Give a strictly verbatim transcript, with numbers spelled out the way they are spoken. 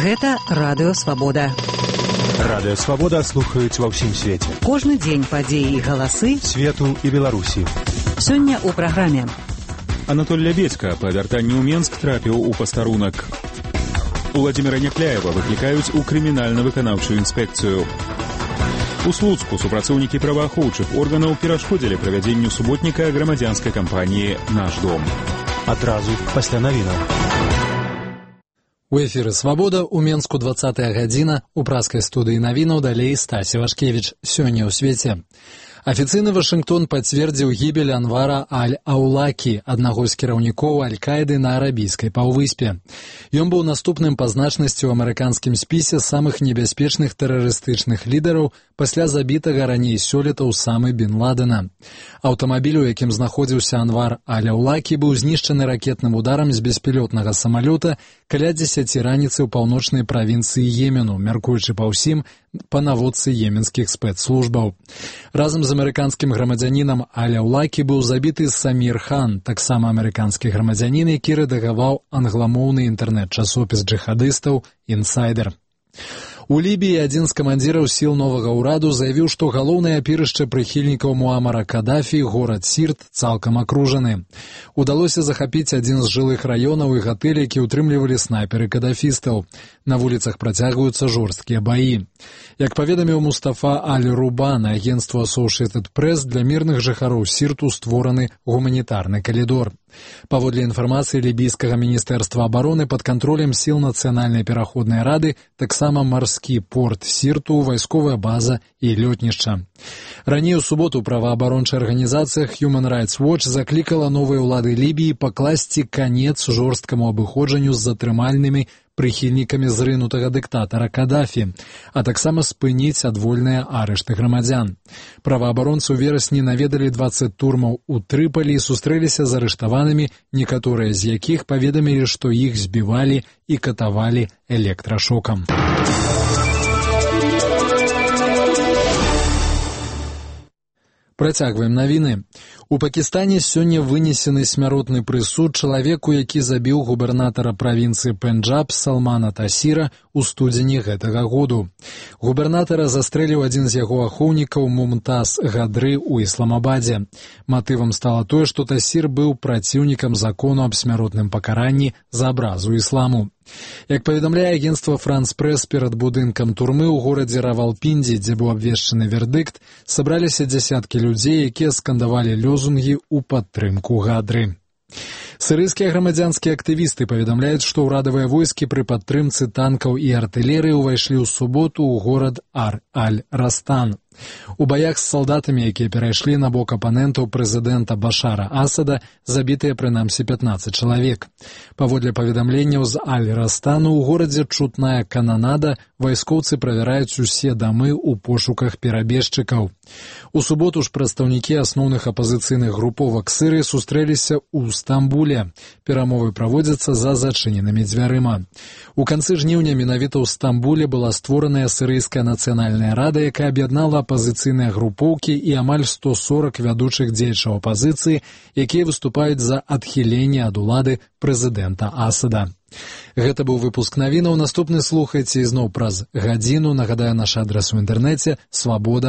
Гэта Радыё Свабода. Радыё Свабода слухаюць ва ўсім свеце. Кожны дзень падзеі і галасы свету і Беларусі. Сёння ў праграме. Анатоль Лябедзька па вяртанні ў Менск трапіў у пастарунак. Уладзіміра Някляева выклікаюць у крымінальна-выканаўчую інспекцыю. У Слуцку супрацоўнікі праваахоўчых органаў перашкодзілі правядзенню суботніка грамадзянскай кампаніі «Наш дом». Адразу пасля навінаў. У эфіры «Свабода» у Менску двадцатая гадзіна, у праскай студыі навінаў далей Стасі Вашкевіч. Сёння ў свеце. Афіцыйны Вашынгтон пацвердзіў гібель Анвара Аль-Аулакі, аднаго з кіраўнікоў Аль-Каіды на арабійскай паўвыспе. Ён быў наступным па значнасці ў амерыканскім спісе самых небяспечных тэрарыстычных лідараў пасля забітага раней сёлета Усамы бін Ладена. Аўтамабіль, у якім знаходзіўся Анвар Аль-Аулакі, быў знішчаны ракетным ударам з беспілотнага самалёта каля дзесяці раніцы ў паўночнай правінцыі Йемену, мяркуючы па ўсім па наводцы йеменскіх спецслужбаў. Разам з амерыканскім грамадзянінам Аль-Аулакі быў забіты Самір Хан, таксама амерыканскі грамадзянін, які рэдагаваў англамоўны інтэрнэт-часопіс джыхадыстаў «Інсайдер». У Лібіі адзін з камандзіраў сіл новага ўраду заявіў, што галоўнае апірышча прыхільнікаў Муамара Кадафі, горад Сірт, цалкам акружаны. Удалося захапіць адзін з жылых раёнаў і гатэль, які ўтрымлівалі снайперы кадафістаў. На вуліцах працягваюцца жорсткія баі. Як паведаміў Мустафа Аль-Рубан, агенцтва Associated Press, для мірных жыхароў Сірту створаны гуманітарны калідор. Паводле інфармацыі лібійскага міністэрства абароны, пад кантролем сіл нацыянальнай пераходнай рады таксама марскі порт Сірту, вайсковая база і лётнішча. Раней у суботу праваабарончая арганізацыя Human Rights Watch заклікала новыя ўлады Лібіі пакласці канец жорсткаму абыходжанню з затрымальнымі прыхільнікамі зрынутага дыктатара Кадафі, а таксама спыніць адвольныя арышты грамадзян. Праваабаронцы ў верасні наведалі дваццаць турмаў у Трыпалі і сустрэліся з арыштаванымі, некаторыя з якіх паведамілі, што іх збівалі і катавалі электрашокам. Працягваем навіны. У Пакістане сёння вынесены смяротны прысуд чалавеку, які забіў губернатара правінцыі Пенджаб Салмана Тасіра ў студзені гэтага году. Губернатара застрэліў адзін з яго ахоўнікаў Мумтаз Гадры ў Ісламабадзе. Матывам стала тое, што Тасір быў праціўнікам закону аб смяротным пакаранні за абразу ісламу. Як паведамляе агенцтва France Press, перад будынкам турмы ў горадзе Равалпіндзі, дзе быў абвешчаны вердыкт, сабраліся дзясяткі людзей, якія скандавалі лёзунгі ў падтрымку Гадры. Сірыйскія грамадзянскія актывісты паведамляюць, што ўрадавыя войскі пры падтрымцы танкаў і артылерыі ўвайшлі ў суботу ў горад Ар-Аль-Растан. У баях з салдатамі, якія перайшлі на бок апанентаў прэзідэнта Башара Асада, забітыя прынамсі пятнаццаць чалавек. Паводле паведамленняў з Аль-Растану, у горадзе чутная кананада, вайскоўцы правяраюць усе дамы ў пошуках перабежчыкаў. У суботу ж прадстаўнікі асноўных апазіцыйных груповак Сірыі сустрэліся ў Стамбуле. Перамовы праводзяцца за зачыненымі дзвярыма. У канцы жніўня менавіта ў Стамбуле была створаная Сірыйская нацыянальная рада, якая аб'яднала апазіцыйныя групоўкі і амаль сто сорак вядучых дзеячаў апазіцыі, якія выступаюць за адхіленне ад улады прэзідэнта Асада. Гэта быў выпуск навінаў. Наступны слухайце ізноў праз гадзіну. Нагадаю, наш адрас у інтэрнэце свабода